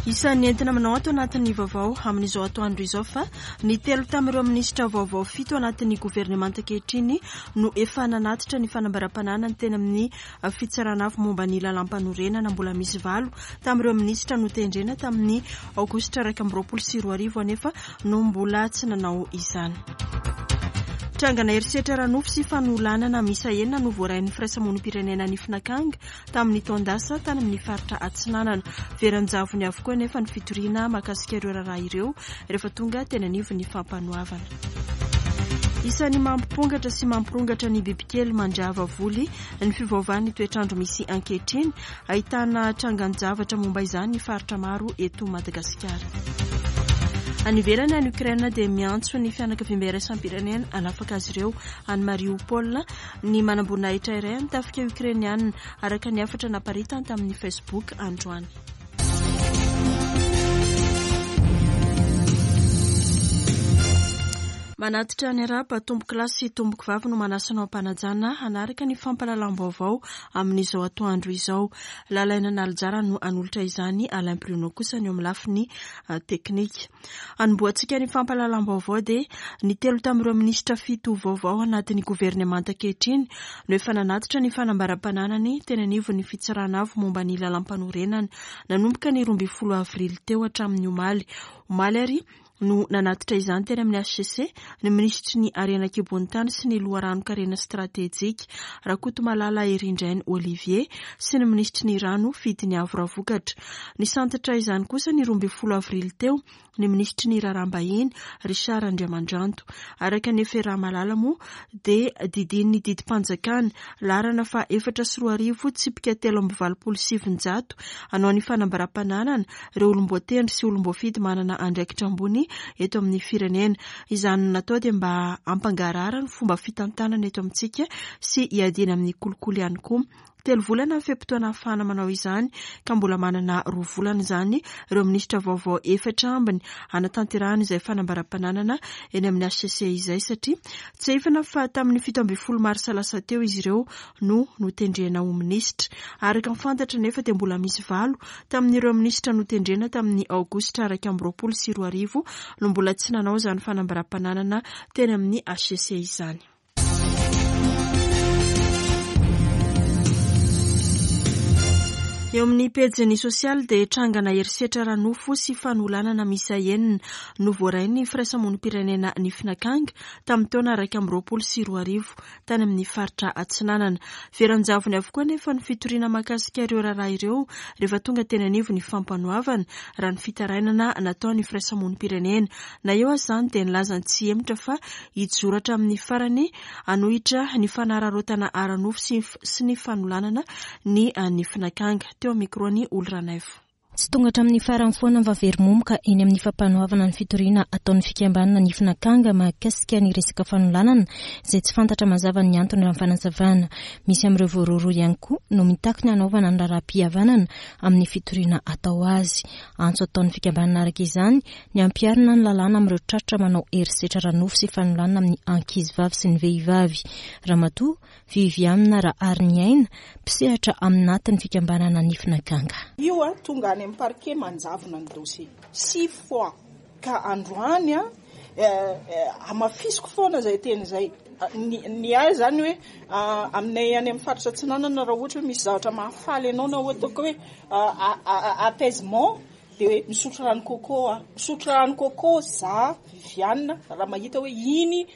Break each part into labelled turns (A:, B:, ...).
A: Isan'ny entina manao ato anatin'ny vaovao amin'izao atoandro izao fa ny telo tamin'ireo minisitra vaovao fito anatin'ny governemanta ankehitriny no efa nanatitra ny fanambaram-pananany teny amin'ny fitsarana avo momba ny lalàmpanorenana. Mbola misy valo tamin'ireo minisitra notendrena tamin'ny aogositra 2021 anefa no mbola tsy nanao izany. Trangana herisetra ara-nofo sy fanolanana miisa enina no voarain'ny firaisamonim-pirenena Nifinakanga tamin'ny taon-dasa tany amin'ny faritra Atsinanana. Very an-javony avokoa anefa ny fitoriana mahakasika ireo raharaha ireo rehefa tonga teny anivon'ny fampanoavana. Isan'ny mampipongatra sy mampirongatra ny bibikely mandrava voly ny fiovaovan'ny toetr'andro misy ankehitriny. Ahitana trangan-javatra momba izany ny faritra maro eto Madagasikara. Any ivelany, any Ukraine dia miantso ny fianakaviambe iraisam-pirenena hanafaka azy ireo any Mariupol ny manamboninahitra iray amin'ny tafika Ukrainiana, araka ny hafatra naparitany tamin'ny Facebook androany. Manatitra ny arahaba tompokolahy sy tompokovavy no manasa anao am-panajana hanaraka ny fampahalalam-baovao amin'izao atoandro izao. Lalaina Nalijara no hanolotra izany, Alain Bruno kosa ny eo amin'ny lafiny ah, teknika. Hanombohantsika ny fampahalalam-baovao dia ny telo tamin'ireo minisitra fito vaovao anatin'ny governemanta ankehitriny no efa nanatitra ny fanambaram-pananany teny anivon'ny fitsarana avo momba ny lalàmpanorenana nanomboka ny 12 avrily teo hatramin'ny omaly. Omaly ary no nanatitra izany teny amin'ny hcc ny minisitry ny Harena an-kibon'ny tany sy ny loharanon-karena stratejika, Rakotomalala Herindrainy Olivier, sy ny minisitry ny Rano, Fidiniavo Ravokatra. Nisantatra izany kosa ny 12 avrily teo ny minisitry ny Raharaham-bahiny, Richard Andriamandranto. Araka ny FRA Malala moa dia didian'ny didim-panjakana, laharana faha 2004 tsipika 983, hanao ny fanambaram-pananana ireo olom-boatendry sy olom-boafidy manana andraikitra ambony eto amin'ny firenena. Izany no natao dia mba hampangarahara ny fomba fitantanana eto amintsika sy hiadiana amin'ny kolikoly ihany koa. Telo volana ny fe-potoana ahafahana manao izany ka mbola manana roa volana izany ireo minisitra vaovao efatra ambiny hanatanterahana izay fanambaram-pananana eny amin'ny hcc izay satria tsiahivina fa tamin'ny 17 marsa lasa teo izy ireo no notendrena ho minisitra. Araka ny fantatra anefa dia mbola misy valo tamin'ireo minisitra notendrena tamin'ny aogositra 2021 no mbola tsy nanao izany fanambaram-pananana teny amin'ny hcc izany. Eo amin'ny pejiny sosialy dia trangana herisetra ara-nofo sy fanolanana miisa enina no voarain'ny firaisamonim-pirenena Nifinakanga tamin'ny taona 2021. tany amin'ny faritra Atsinanana. Very an-javony avokoa anefa ny fitoriana mahakasika ireo raharaha ireo rehefa tonga teny anivon'ny fampanoavana, raha ny fitarainana nataon'ny firaisamonim-pirenena. Na eo aza izany dia nilaza ny tsy hihemotra fa hijoro hatramin'ny farany hanohitra ny fanararaotana ara-nofo sy ny fanolanana ny nifin'akanga. Teo amin'ny micro-n'i Oly Ranaivo.
B: Tsy tonga hatramin'ny farany foana fa very momoka eny amin'ny fampanoavana ny fitoriana ataon'ny fikambanana Nifin'Akanga mahakasika ny resaka fanolanana izay tsy fantatra mazava ny antony raha ny fanazavana. Misy amin'ireo voarohirohy ihany koa no mitaky ny hanaovana ny raharaham-pihavanana amin'ny fitoriana atao azy. Antso ataon'ny fikambanana araka izany ny hampiharina ny lalàna amin'ireo tratra manao herisetra ara-nofo sy fanolanana amin'ny ankizivavy sy ny vehivavy. Ramatoa Viviane Rahariniaina, mpisehatra aminatin'ny fikambanana Nifin'Akanga.
C: Io a, tonga any amin'ny parquet manjavona ny dossier. Six fois. Ka androany a, hamafisiko foana izay teny izay. Ny ahy izany hoe aminay any amin'ny faritra Atsinanana raha ohatra hoe misy zavatra mahafaly anao na ohatra hoe apaisement dia hoe misotro rano coco aho. Misotro rano coco za Viviane raha mahita hoe iny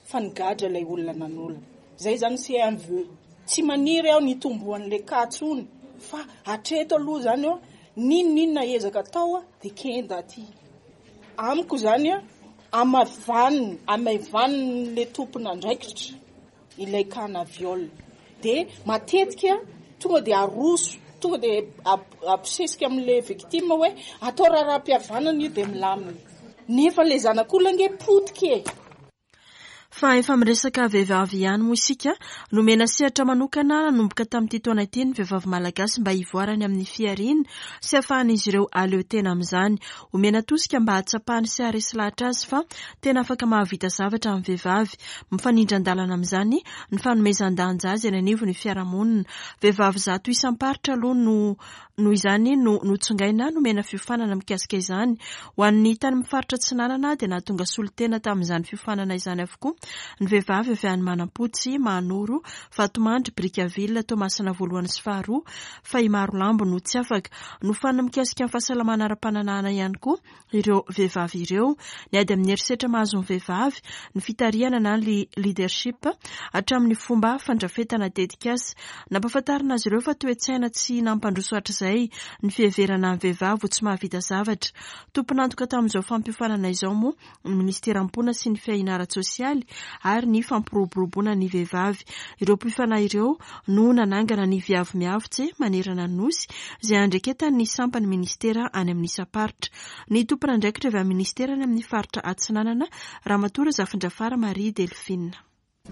C: fa nigadra ilay olona nanolana. Zay zany c'est un vœu. Tsy maniry aho ny hitomboan'ilay cas tsony fa hatreto aloha zany eo n'inon'inona ezaka atao dia kenda aty. Amiko zany amavaniny, amaivanin'ilay tompon'andraikitra ilay cas na viol. Dia matetika tonga dia aroso, tonga dia abosesika amin'ilay victime hoe atao raharaham-pihavanana io dia milamina. Nefa ilay zanak'olona ange potika e!
A: Fa efa miresaka vehivavy ihany moa isika. Nomena sehatra manokana nanomboka tamin'ity taona ity ny vehivavy malagasy mba hivoarany amin'ny fihariana sy hahafahan'izy ireo hahaleo tena amin'izany. Omena tosika mba hahatsapany sy haharesy lahatra azy fa tena afaka mahavita zavatra ny vehivavy. Mifanindran-dalana amin'izany ny fanomezan-danja azy eny anivon'ny fiarahamonina. Vehivavy 100 isam-paritra aloha no Noho izany no notsongaina nomena fiofanana mikasika izany. Ho an'ny tany amin'ny faritra Atsinanana dia nahatonga solontena tamin'izany fiofanana izany avokoa ny vehivavy avy any Manampotsy, Mahanoro, Vatomandry, Brickaville, Toamasina voalohany sy faharoa fa i Marolambo no tsy afaka. Nofanina mikasika ny fahasalamana ara-pananahana ihany koa ireo vehivavy ireo, ny ady amin'ny herisetra mahazo ny vehivavy, ny fitarihana na ny leadership, hatramin'ny fomba fandrafetana tetikasa. Nampahafantarina azy ireo fa toe-tsaina tsy nampandroso hatrizay ny fiheverana ny vehivavy ho tsy mahavita zavatra. Tompon'antoka tamin'izao fampiofanana izao moa ny minisiteran'ny Mponina sy ny Fiahiana ara-tsosialy ary ny Fampiroboroboana ny vehivavy. Ireo mpiofana ireo no nanangana ny Viavy Miavotse manerana ny Nosy, izay andraiketan'ny sampan'ny minisitera any amin'ny isam-paritra. Ny tompon'andraikitra avy amin'ny minisitera any amin'ny faritra Atsinanana, Ramatoa Razafindrafara Marie Delphine.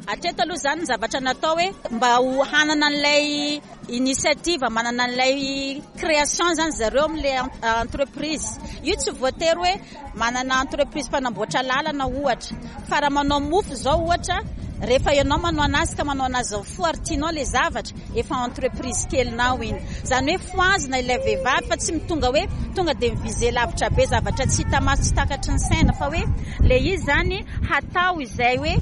D: Hatreto aloha izany ny zavatra natao hoe mba ho hanana an'ilay initiative, manana an'ilay création izany zareo amin'ilay entreprise. Io tsy voatery hoe manana entreprise mpanamboatra lalana ohatra, fa raha manao mofo izao ohatra, rehefa ianao manao anazy ka manao anazy amin'ny fo ary tianao ilay zavatra, efa entreprise kelinao iny. Izany hoe fohazina ilay vehivavy fa tsy tonga hoe tonga dia mi-viser lavitra be zavatra tsy hita maso tsy takatry ny saina fa hoe ilay izy izany hatao izay hoe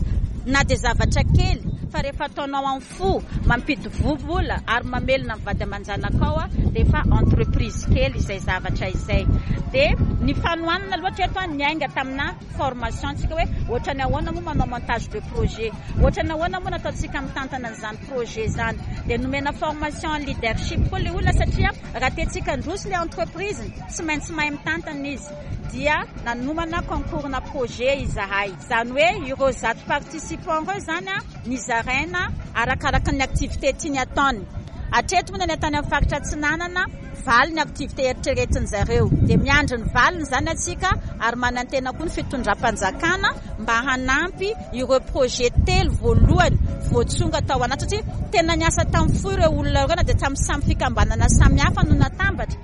D: na dia zavatra kely fa rehefa ataonao amin'ny fo, mampidi-vola ary mamelona ny vady aman-janakao dia efa entreprise kely izay zavatra izay. Dia ny fanohanana aloha hatreto niainga tamina formation tsika hoe ohatrany ahoana moa manao montage de projet, ohatrany ahoana moa nataontsika mitantana an'izany projet izany. Dia nomena formation leadership koa ilay olona satria raha tiantsika handroso ilay entreprise tsy maintsy mahay mitantana izy. Dia nanomana concours-na projet izahay. Izany hoe ireo 100 participants ireo izany nizaraina arakaraka ny activité tiany hataony. Hatreto moa ny any tany amin'ny faritra Atsinanana, valo ny activité eritreretin zareo. Dia miandry ny valiny izany atsika ary manantena koa ny fitondram-panjakana mba hanampy ireo projet telo voalohany voatsonga tao anaty satria tena niasa tamin'ny fo ireo olona ireo na dia tamin'ny samy fikambanana samihafa no natambatra.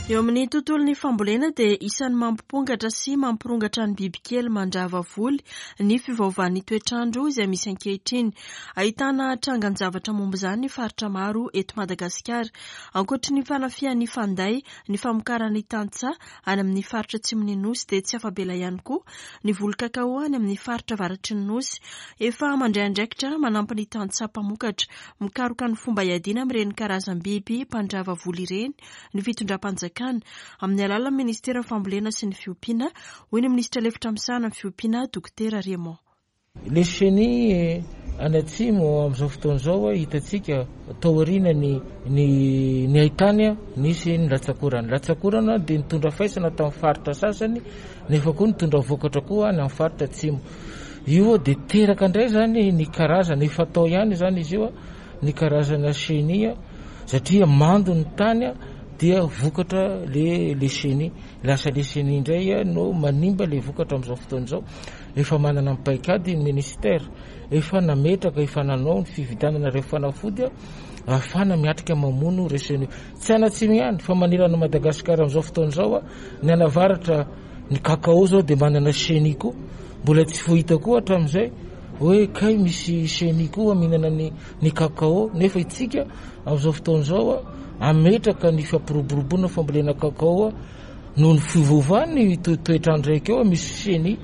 A: Eo amin'ny tontolon'ny fambolena dia isan'ny mampipongatra sy mampirongatra ny bibikely mandrava voly ny fiovaovan'ny toetr'andro izay misy ankehitriny. Ahitana trangan-javatra momba izany ny faritra maro eto Madagasikara. Ankoatry ny fanafihan'ny fanday ny famokaran'ny tantsaha any amin'ny faritra atsimon'ny Nosy dia tsy afa-bela ihany koa ny voly kakao any amin'ny faritra avaratry ny Nosy. Efa mandray andraikitra manampy ny tantsaha mpamokatra mikaroka ny fomba hiadiana amin'ireny karazam-biby mpandrava voly ireny ny fitondram-panjakana, amin'ny alalan'ny minisiteran'ny Fambolena sy ny Fiompiana, hoy ny minisitra lefitra misahana ny fiompiana, Dokotera Raymond.
E: Le chenille any atsimo amin'izao fotoana izao hitantsika taoriana ny ny ny haitany nisy ny latsakorana. Latsakorana dia nitondra faisana tamin'ny faritra sasany nefa koa nitondra vokatra koa any amin'ny faritra atsimo. Io dia teraka indray izany ny karazana efa tao ihany izany izy io ny karazana chenille satria mando ny tany dia vokatra le le chenille. Lasa le chenille indray no manimba le vokatra amin'izao fotoana izao. Efa manana ny paikady ny ministère, efa nametraka, efa nanao ny fividianana ireo fanafody ahafahana miatrika mamono ireo chenille. Tsy any atsimo ihany fa manerana an'i Madagasikara amin'izao fotoana izao, ny any avaratra ny cacao izao dia manana chenille koa, mbola tsy voahita koa hatramin'izay hoe kay misy chenille koa mihinana ny ny cacao nefa itsika amin'izao fotoana izao ametraka ny fampiroboroboana fambolena cacao noho ny fiovaovan'ny toetr'andro raiky eo misy chenille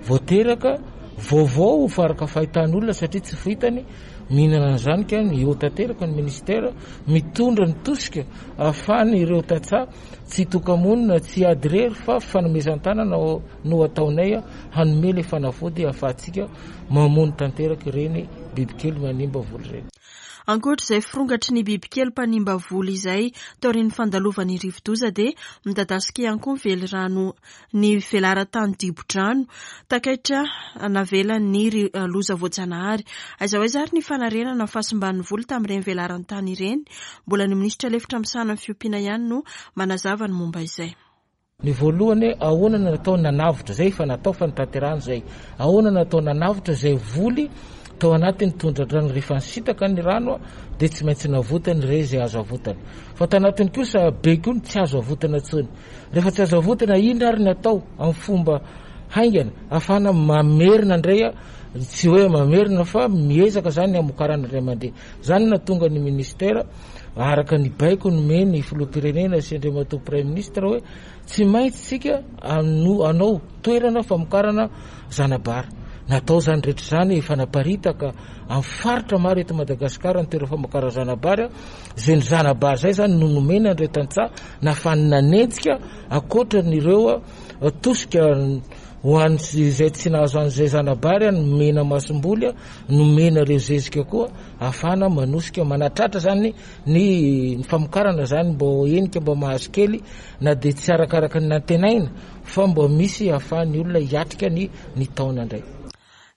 E: voateraka vaovao faraka fahitan'olona satria tsy fahitany mihinana an'izany ka eo tanteraka ny ministère mitondra ny tosika ahafahany ireo tantsaha tsy hitoka-monina tsy hiady irery fa fanomezan-tanana no ataonay hanome le fanafody ahafahantsika mamono tanteraka ireny bibikely manimba voly ireny.
A: Ankoatra izay firongatry ny bibikely mpanimba voly izay, taorian'ny fandalovan'ny rivodoza dia midadasika ihany koa ny velirano ny velaran-tany dibo-drano takaitra navelan'ny loza voajanahary. Aiza ho aiza ary ny fanarenana ny fahasimban'ny voly tamin'ireny velaran-tany ireny? Mbola ny minisitra lefitra misahana ny fiompiana ihany no manazava ny momba izay.
E: Ny voalohany, ahoana no natao nanavotra, izay efa natao fa notanterahana izay. Ahoana no natao nanavotra izay voly tao anatin'ny tondra-drano rehefa nisintaka ny rano dia tsy maintsy navotana ireo izay azo avotana. Fa tao anatiny kosa be koa ny tsy azo avotana intsony. Rehefa tsy azo avotana, inona ary ny atao amin'ny fomba haingana ahafahana mamerina indray, tsy hoe mamerina fa miezaka izany ny hamokarana indray mandeha. Izany no nahatonga ny ministera araka ny baiko nomen'ny filoham-pirenena sy Andriamatoa Praiminisitra hoe tsy maintsy tsika hanao toerana famokarana zana-bary. Natao izany rehetra izany, efa naparitaka amin'ny faritra maro eto Madagasikara ny toerana famokarana zana-bary. Izay ny zana-bary izay izany no nomena an'ireo tantsaha nahafahany nanenjika ankoatran'ireo tosika ho an'izay tsy nahazo an'izay zana-bary nomena masomboly. Nomena ireo zezika koa ahafahana manosika manatratra zany ny famokarana zany mba ho henika mba mahazo kely na dia tsy arakaraka ny nantenaina fa mba misy ahafahan'ny olona hiatrika ny ny taona indray.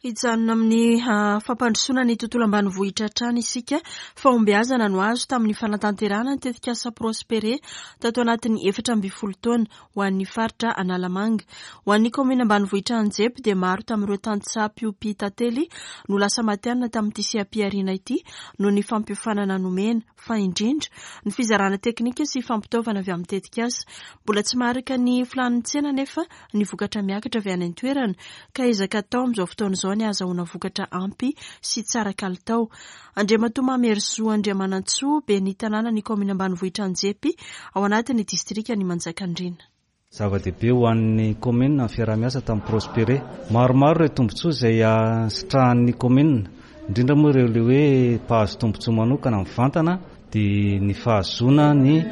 A: Hijanona amin'ny fampandrosoana ny tontolo ambanivohitra hatrany isika. Fahombiazana no azo tamin'ny fanatanterahana ny tetikasa Prospere tato anatin'ny 14 taona. ho an'ny faritra Analamanga. Ho an'ny kaominina ambanivohitra Anjepy dia maro tamin'ireo tantsaha mpiompy tantely no lasa matihanina tamin'ity seha-pihariana ity noho ny fampiofanana nomena, fa indrindra ny fizarana teknika sy fampitaovana avy amin'ny tetikasa. Mbola tsy maharaka ny filàn'ny tsena anefa ny vokatra miakatra avy any an-toerana ka ezaka atao amin'izao fotoana izao ny hahazahoana vokatra ampy sy tsara kalitao. Andriamatoa Mamerisoa Andriamanantsoa, ben'ny tanànan'ny kaominina ambanivohitra Anjepy, ao anatin'ny distrikan'i Manjakandriana.
F: Zava-dehibe ho an'ny kaominina ny fiaraha-miasa tamin'ny Prospere. Maromaro ireo tombontsoa izay sitrahan'ny kaominina, indrindra moa ireo ilay hoe mpahazo tombontsoa manokana mivantana dia ny fahazoana ny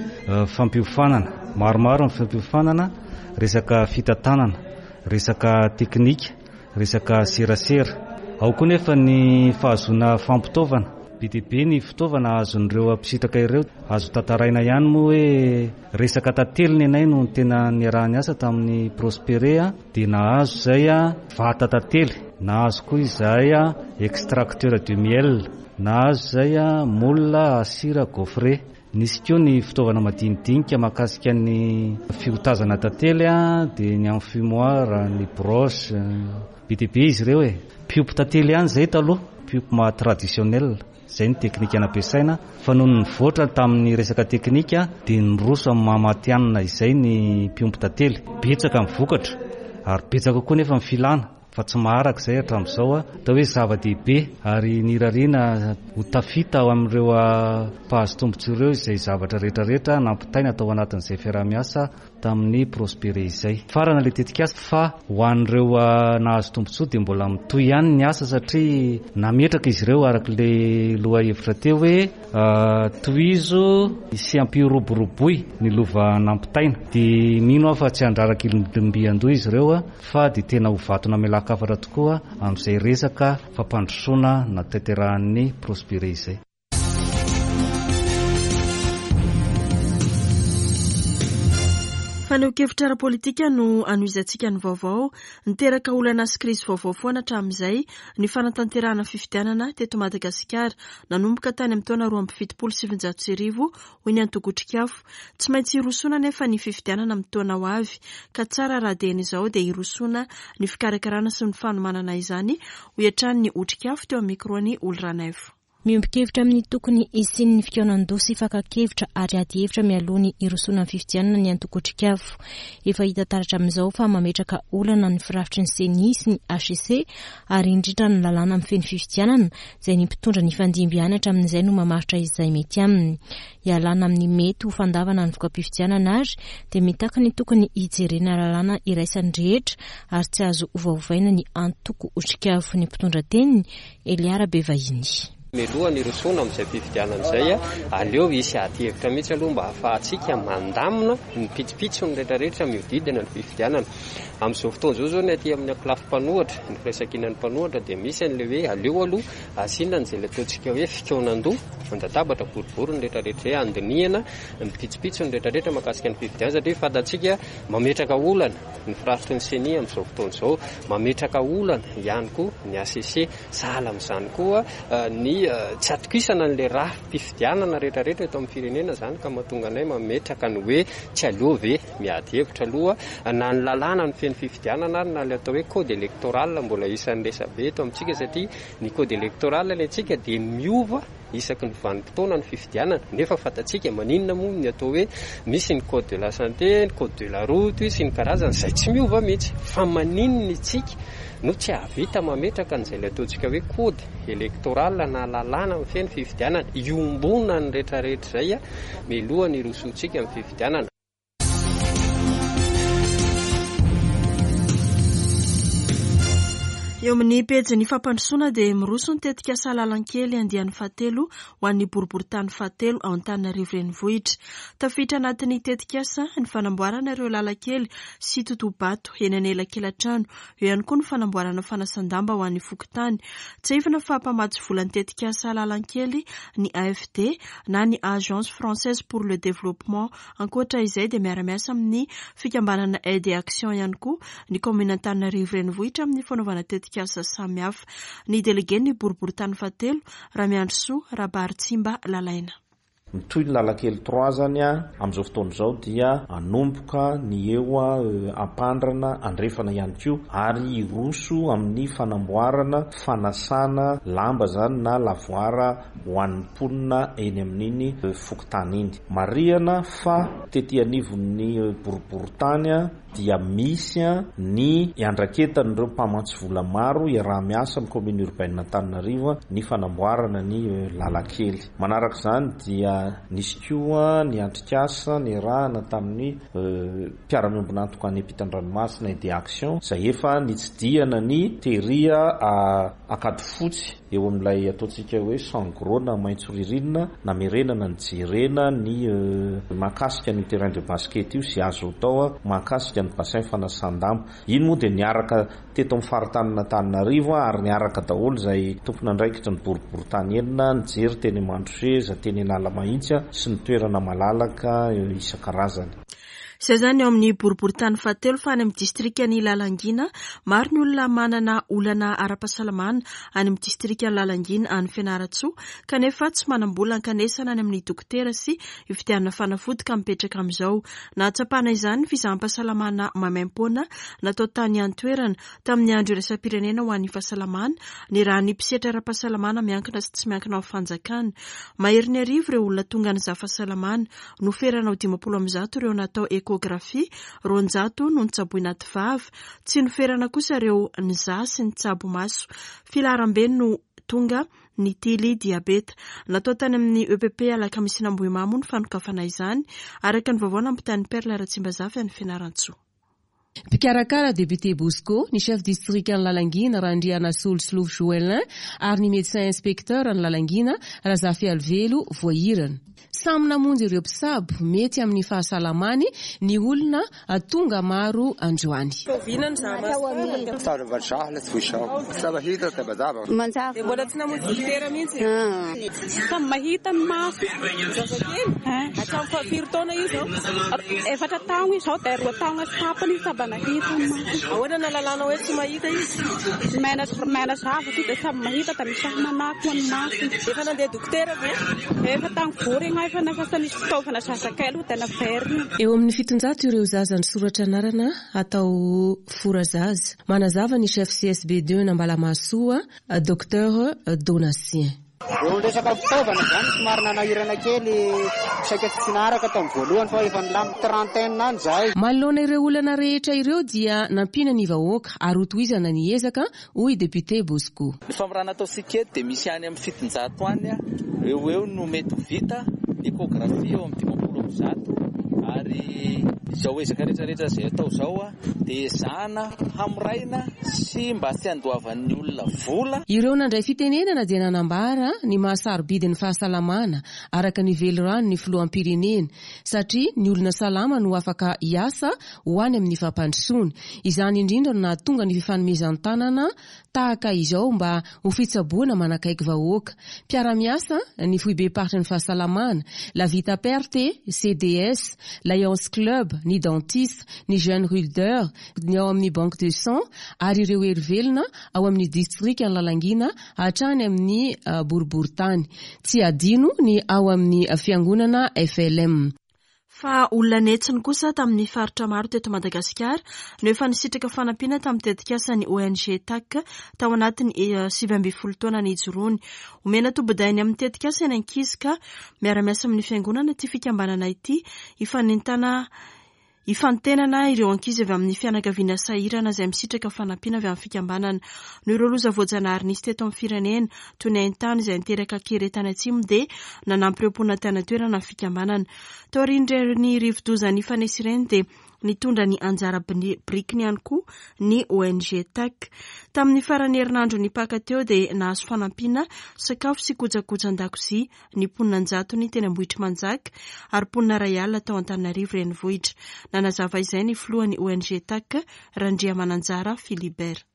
F: fampiofanana. Maromaro ny fampiofanana, resaka fitantanana, resaka teknika. Resaka serasera. Ao koa nefa ny fahazoana fampitaovana. Be dia be ny fitaovana azon'ireo mpisintaka ireo. Azo tantaraina ihany moa hoe resaka tantely ny anay no tena niaraha-niasa tamin'ny Prospere dia nahazo izay vata tantely, nahazo koa izahay extracteur de miel, nahazo izay moule à cire gaufré. Nisy koa ny fitaovana madinidinika mahakasika ny fiotazana tantely dia ny enfumoir, ny broche, be dia be izy ireo e. Mpiompy tantely ihany izay taloha, mpiompy maha traditionnel, izay ny teknika nampiasaina fa nony nivoatra tamin'ny resaka teknika dia niroso amin'ny maha matihanina izay ny mpiompy tantely. Betsaka ny vokatra ary betsaka koa nefa ny filana. fa tsy maharaka izay hatramin'izao, atao hoe zava-dehibe ary nirariana ho tafita ao amin'ireo mpahazo tombontsoa ireo izay zavatra rehetra rehetra nampitaina tao anatin'izay fiaraha-miasa tamin'ny Prospere izay. Farana ilay tetikasa fa ho an'ireo nahazo tombontsoa dia mbola mitohy ihany ny asa satria nametraka izy ireo araka ilay lohahevitra teo hoe tohizo sy ampiroboroboy ny lova nampitaina dia mino aho fa tsy handraraka ilombiandoha izy ireo fa dia tena ho vato namelan-kafatra tokoa amin'izay resaka fampandrosoana natanterahan'ny Prospere izay.
A: Fanehoan-kevitra ara-politika no anohizantsika ny vaovao. Niteraka olana sy krizy vaovao foana hatramin'izay ny fanatanterahana fifidianana teto Madagasikara nanomboka tany amin'ny taona 1972 hoy ny antoko Otrikafo. Tsy maintsy hirosoana anefa ny fifidianana amin'ny taona ho avy, ka tsara raha dieny izao dia hirosoana ny fikarakarana sy ny fanomanana izany, hoy hatrany ny Otrikafo teo amin'ny micro-n'i Oly Ranaivo.
B: Miombon-kevitra amin'ny tokony hisian'ny fikaonan-doha sy fakan-kevitra ary ady hevitra mialoha ny hirosoana amin'ny fifidianana ny antoko Otrikafo. Efa hita taratra amin'izao fa mametraka olana ny firafitry ny Ceni sy ny hcc ary indrindra ny lalàna mifehy ny fifidianana izay ny mpitondra nifandimby ihany hatramin'izay no mamaritra izay mety aminy. Hialana amin'ny mety ho fandavana ny voka-pifidianana ary dia mitaky ny tokony hijerena lalàna iraisan'ny rehetra ary tsy azo ovaovaina ny antoko Otrikafo ny mpitondra teniny, Elia Rabevahiny.
G: Mialoha ny hirosoana amin'izay fifidianana izay, aleo hisy ady hevitra mihitsy aloha mba hahafahantsika mandamina ny pitsopitsony rehetrarehetra mihodidina ny fifidianana. Amin'izao fotoana izao izao ny aty amin'ny ankolafy mpanohitra, ny firaisankinan'ny mpanohitra dia misy an'ilay hoe aleo aloha asiana an'izay ilay ataontsika hoe fikaonandoha, an-databatra boribory ny rehetrarehetra izay handinihana ny pitsopitsony rehetrarehetra mahakasika ny fifidianana satria fantatsika mametraka olana ny firafitry ny ceni amin'izao fotoana izao, mametraka olana ihany koa ny hcc, sahala amin'izany koa ny. tsy atokisana an'ilay rafi-pifidianana rehetrarehetra eto amin'ny firenena izany ka mahatonga anay mametraka ny hoe tsy aleo ve miady hevitra aloha na ny lalàna mifehy ny fifidianana ary na ilay atao hoe code électoral mbola isan'ny resabe eto amintsika satria ny code électoral ny antsika dia miova isaky ny vanim-potoana ny fifidianana nefa fantatsika maninona moa ny atao hoe misy ny code de la santé, ny code de la route sy ny karazany izay tsy miova mihitsy fa maninona isika no tsy hahavita mametraka an'izay ilay ataontsika hoe code électoral na lalàna mifehy ny fifidianana iombonan'ny rehetrarehetra izay mialoha ny hirosoantsika amin'ny fifidianana.
A: Eo amin'ny pejin'ny fampandrosoana dia miroso ny tetikasa Lalankely andiany fahatelo ho an'ny boriborintany fahatelo ao Antananarivo Renivohitra. Tafiditra anatin'ny tetikasa ny fanamboarana ireo lalankely sy totoha-bato eny anelakelan-trano. Eo ihany koa ny fanamboarana fanasan-damba ho an'ny fokontany. Tsiahivina fa mpamatsy vola ny tetikasa Lalankely ny AFD na ny Agence Française pour le Développement. Ankoatra izay dia miara-miasa amin'ny fikambanana Aide et Action ihany koa ny kaominina Antananarivo Renivohitra amin'ny fanaovana tetikasa samihafa. Ny delegen'ny boriborintany fahatelo, Ramiandrisoa Rabaritsimba Lalaina.
H: Mitohy ny lalan-kely trois zany amin'izao fotoana izao dia hanomboka ny eo Ampandrana andrefana ihany koa ary hiroso amin'ny fanamboarana fanasana lamba zany na lavoir ho an'ny mponina eny amin'iny fokontany iny. Marihana fa tety anivon'ny boriborintany dia misy ny iandraketan'ireo mpamantsy vola maro iaraha-miasa amin'ny Commune Urbaine Antananarivo ny fanamboarana ny lalan-kely. Manaraka izany dia nisy koa ny atrikasa niarahana tamin'ny mpiara-miombon'antoka any ampitan-dranomasina Aide Action izay efa nitsidihana ny tery Ankadifotsy eo amin'ilay ataontsika hoe Sangro na maitso ririnina namerenana nijerena ny mahakasika an'io terrain de basket io sy azo atao mahakasika ny bassin fanasan-damba. Iny moa dia niaraka teto amin'ny faritanin'Antananarivo ary niaraka daholo izay tompon'andraikitry ny boriborintany enina nijery teny Mandroseza, teny Analamahitsy sy ny toerana malalaka isan-karazany.
A: Izay izany ao amin'ny boriborintany fahatelo fa any amin'ny distrikan'i Lalangina, maro ny olona manana olana ara-pahasalamana any amin'ny distrikan'i Lalangina any Fianarantsoa kanefa tsy manam-bola hankanesana any amin'ny dokotera sy hividianana fanafody ka mipetraka amin'izao. Nahatsapana izany ny fizaham-pahasalamana maimaimpoana natao tany an-toerana tamin'ny andro iraisam-pirenena ho an'ny fahasalamana nirahan'ny mpisehatra ara-pahasalamana miankina sy tsy miankina amin'ny fanjakana. Maherin'ny arivo ireo olona tonga nizaha fahasalamana. Noferana ho 150 ireo natao échographie, 200 no notsaboina ati vava. Tsy noferana kosa ireo nizaha sy nitsabo maso. Filaharambe no tonga nitily diabeta. Natao tany amin'ny EPP Alakamisin'Ambohimamo moa ny fanokafana izany, araka ny vaovao nampitain'i Perle Ratsimbazafy any Fianarantsoa.
I: Mpikarakara Député Bosco, ny Chef Distrikan'i Lalangina Randrianasolo Solofo Joëlin ary ny Médecin Inspecteur an'i Lalangina Razafialivelo Voahirana. Samy namonjy ireo mpisabo mety amin'ny fahasalamany ny olona tonga maro androany.
J: Samy mahita ny maso.
C: Zazakely? Hatramin'ny fahafiry taona izy izao?
J: Efatra taogno izy zao dia roa taogno sy tapany izy samy nahita ny maso.
C: Ahoana no ahalalana hoe tsy mahita izy?
J: Mena mena zavatra io dia samy mahita dia misy manako ny masony.
C: Efa nandeha dokotera ve?
J: Efa tany vory aho efa nafa nisy fitaovana zazakely dia naverina.
I: Eo amin'ny 700 ireo zaza nisoratra anarana atao fora zaza. Manazava ny chef CSB 2 Nambalamahasoa, Docteur Donatien.
K: Eo resaka fitaovana zany somary nanahirana kely saika tsy naharaka tamin'ny voalohany fa efa nilamina trentaine any zahay.
I: Manoloana ireo olana rehetra ireo dia nampiana ny vahoaka ary hotohizana ny ezaka, hoy député Bosco.
L: Ny famorana ataontsika eto dia misy any amin'ny 700 any eo ho eo no mety ho vita, ny échographie eo amin'ny 150 ary izao ezaka rehetrarehetra izay atao izao dia ezahana hamoraina sy mba tsy handoavan'ny olona vola.
I: Ireo nandray fitenenana dia nanambara ny maha-sarobidy ny fahasalamana araka ny velirano ny filoham-pirenena satria ny olona salama no afaka hiasa ho any amin'ny fampandrosoana. Izany indrindra no nahatonga ny fifanomezan-tanana tahaka izao mba ho fitsaboana manakaiky vahoaka. Mpiara-miasa ny foibem-paritry ny fahasalamana, La Vita Perte, CDS, Lions Club, ny dentiste, ny Jeune Rulder, ny ao amin'ny Banque de Sang ary ireo hery velona ao amin'ny distrikan'i Lalangina hatrany amin'ny boriborintany. Tsy adino ny ao amin'ny fiangonana FLM.
A: Fa olona an'hetsiny kosa tamin'ny faritra maro teto Madagasikara no efa nisitraka fanampiana tamin'ny tetikasan'ny ONG TAC tao anatin'ny 19 taona nijoroany. Omena tombondahiny amin'ny tetikasa ny ankizy ka miara-miasa amin'ny fiangonana ity fikambanana ity hifanentana Hifantenana ireo ankizy avy amin'ny fianakaviana sahirana izay misitraka fanampiana avy amin'ny fikambanana. Noho ireo loza voajanahary nisy teto amin'ny firenena, toy ny haintany izay niteraka kere tany atsimo dia nanampy ireo mponina tany an-toerana ny fikambanana. Taorian'ireny rivodoza nifanesy ireny dia nitondra ny anjara birikiny ihany koa ny ONG TAC. Tamin'ny faran'ny herinandro nipaka teo dia nahazo fanampiana sakafo sy kojakojan-dakozia ny mponina an-jatony teny Ambohitrimanjaka ary mponina 1000 tao Antananarivo Renivohitra. Nanazava izay ny filohan'ny ONG TAC, Randriamananjara Philibert.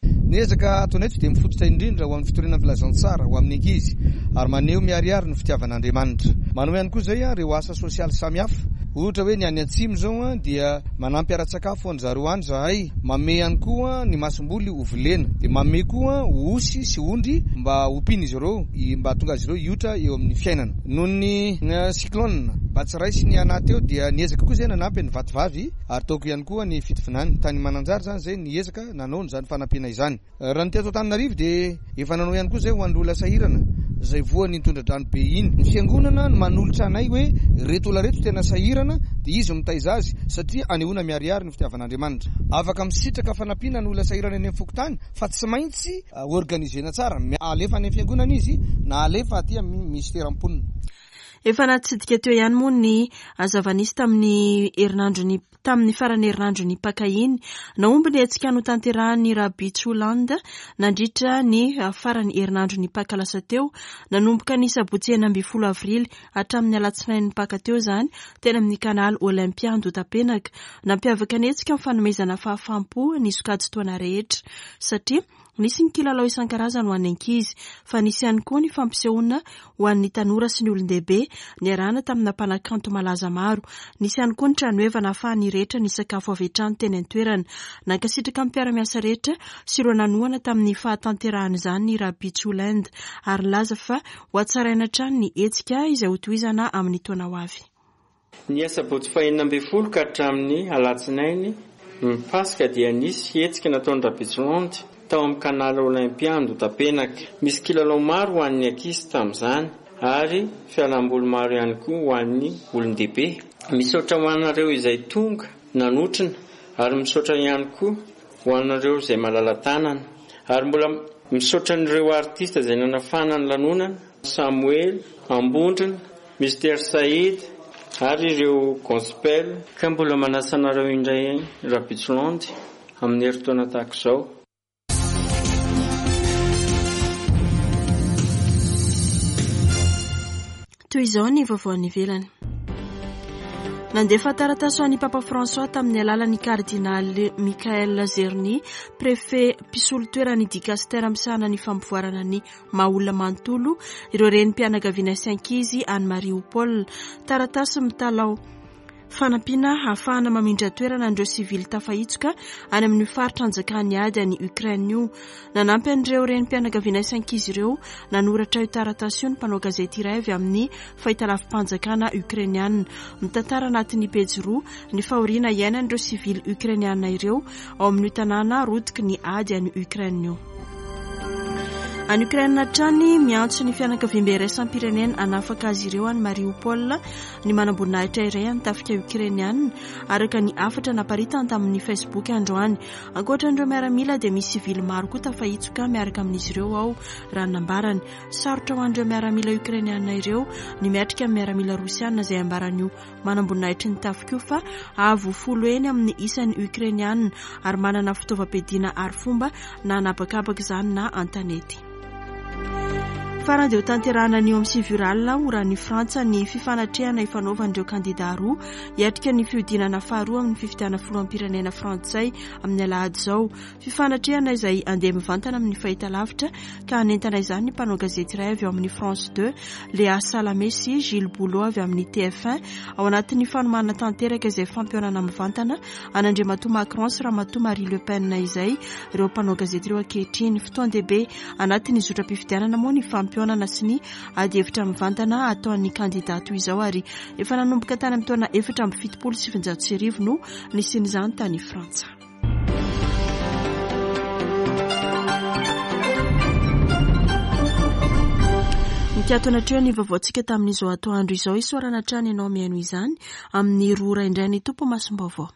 M: Ny ezaka ataonay eto dia mifototra indrindra ho amin'ny fitoriana ny filazantsara ho amin'ny ankizy ary maneho miharihary ny fitiavan'Andriamanitra. Manao ihany koa izay ireo asa sosialy samihafa. Ohatra hoe ny any atsimo izao dia manampy ara-tsakafo an-dry zareo any izahay, manome ihany koa ny masomboly ho volena, dia manome koa osy sy ondry mba hompian'izy ireo mba hahatonga azy ireo hiotra eo amin'ny fiainana. Noho ny cyclone Batsirai sy ny Ana teo dia niezaka koa izay nanampy an'i Vatovavy ary tao ihany koa ny Fitovinany. Tany Mananjary izany izay niezaka nanao an'izany fanampiana izany. Raha ny teto Antananarivo dia efa nanao ihany koa izay ho an'ireo olona sahirana izay voan'iny tondra-drano be iny. Ny fiangonana no manolotra anay hoe ireto olona ireto tena sahirana dia izy no mitaiza azy satria anehoana miharihary ny fitiavan'Andriamanitra. Afaka misitraka fanampiana ny olona sahirana eny amin'ny fokontany fa tsy maintsy organiser-na tsara. Alefa any amin'ny fiangonana izy na alefa aty amin'ny minisiteran'ny mponina.
A: Efa natsidika teo ihany moa ny zava-nisy tamin'ny herinandron'ny tamin'ny faran'ny herinandron'ny Paka iny. Nahomby ny hetsika notanterahan'ny Rabitsoland nandritra ny faran'ny herinandron'ny Paka lasa teo, nanomboka ny sabotsy 16 avrily hatramin'ny alatsinain'ny Paka teo izany, teny amin'ny Canal Olympia Andohatapenaka. Nampiavaka ny hetsika ny fanomezana fahafaham-po ny sokajin-taona rehetra, satria nisy ny kilalao isan-karazany ho an'ny ankizy, fa nisy ihany koa ny fampisehoana ho an'ny tanora sy ny olon-dehibe, niarahana tamina mpanakanto malaza maro. Nisy ihany koa ny tranoheva nahafahan'ny rehetra nisakafo avy hatrany teny an-toerana. Nankasitraka ny mpiara-miasa rehetra sy ireo nanohana tamin'ny fahatanterahan'izany ny Rabitsoland, ary nilaza fa Ho hatsaraina hatrany ny hetsika izay hotohizana amin'ny taona ho avy.
N: Ny asabotsy faha 16 ka hatramin'ny alatsinainy ny Paska dia nisy hetsika nataon'i Rabetsolandy tao amin'ny Canal Olympia Andotapenaka. Misy kilalao maro ho an'ny ankizy tamin'izany ary fialamboly maro ihany koa ho an'ny olon-dehibe. Misaotra ho anareo izay tonga nanotrona ary misaotra ihany koa ho anareo izay malala-tanana ary mbola misaotra an'ireo artista izay nanafana ny lanonana, Samoela, Ambondrona, Mister Saïd ary ireo Gospel. Ka mbola manasa anareo indray Rabitsolandy amin'ny herintaona tahaka izao.
A: Toy izao ny vaovao any ivelany. Nandefa taratasy ho an'i Papa François tamin'ny alalan'ny kardinaly Michael Czerny, préfet mpisolo toeran'ny dikastera misahana ny fampivoarana ny maha olona manontolo, ireo renim-pianakaviana sy ankizy any Mariupol. Taratasy mitalaho Fanampiana hahafahana mamindra toerana an'ireo sivily tafahitsoka any amin'io faritra anjakan'ny ady any Ukraine io. Nanampy an'ireo renim-pianakaviana sy ankizy ireo nanoratra io taratasy io ny mpanao gazety iray avy amin'ny fahitalavi-panjakana Ukrainiana. Mitantara anatin'ny pejy roa ny fahoriana iainan'ireo sivily Ukrainiana ireo ao amin'io tanàna rotiky ny ady any Ukraine io. Any Ukraine hatrany, miantso ny fianakaviambe iraisam-pirenena hanafaka azy ireo any Mariupol ny manamboninahitra iray an'ny tafika Ukrainiana, araka ny hafatra naparitany tamin'ny Facebook androany. Ankoatra an'ireo miaramila dia misy sivily maro koa tafahitsoka miaraka amin'izy ireo ao, raha ny nambarany. Sarotra ho an'ireo miaramila Ukrainiana ireo ny miatrika ny miaramila Rosiana izay ambaran'io manamboninahitry ny tafika io fa avo folo heny amin'ny isan'ny Ukrainiana ary manana fitaovam-piadiana arifomba na an'habakabaka izany na an-tanety. Farany dia hotanterahina anio amin'ny 9 ora alina oran'ny Frantsa ny fifanatrehana ifanaovan'ireo kandidà roa hiatrika ny fihodinana faharoa amin'ny fifidianana filoham-pirenena frantsay amin'ny alahady izao. Fifanatrehana izay handeha mivantana amin'ny fahitalavitra ka hanentana izany ny mpanao gazety iray avy ao amin'ny France 2, Léa Salamé sy Gilles Bouleau avy amin'ny TF1 ao anatin'ny fanomanana tanteraka izay fampihaonana mivantana an'Andriamatoa Macron sy Ramatoa Marie Le Pen izay ireo mpanao gazety ireo ankehitriny. Fotoan-dehibe anatin'ny zotram-pifidianana moa ny fampihaonana sy ny adihevitra mivantana ataon'ny kandidà toy izao ary efa nanomboka tany amin'ny taona 1974 no nisian'izany tany Frantsa. Mikatona hatreo ny vaovaontsika tamin'izao atoandro izao. Isaorana hatrany ianao mihaino izany amin'ny roa ora indray ny Tompo masom-baovao.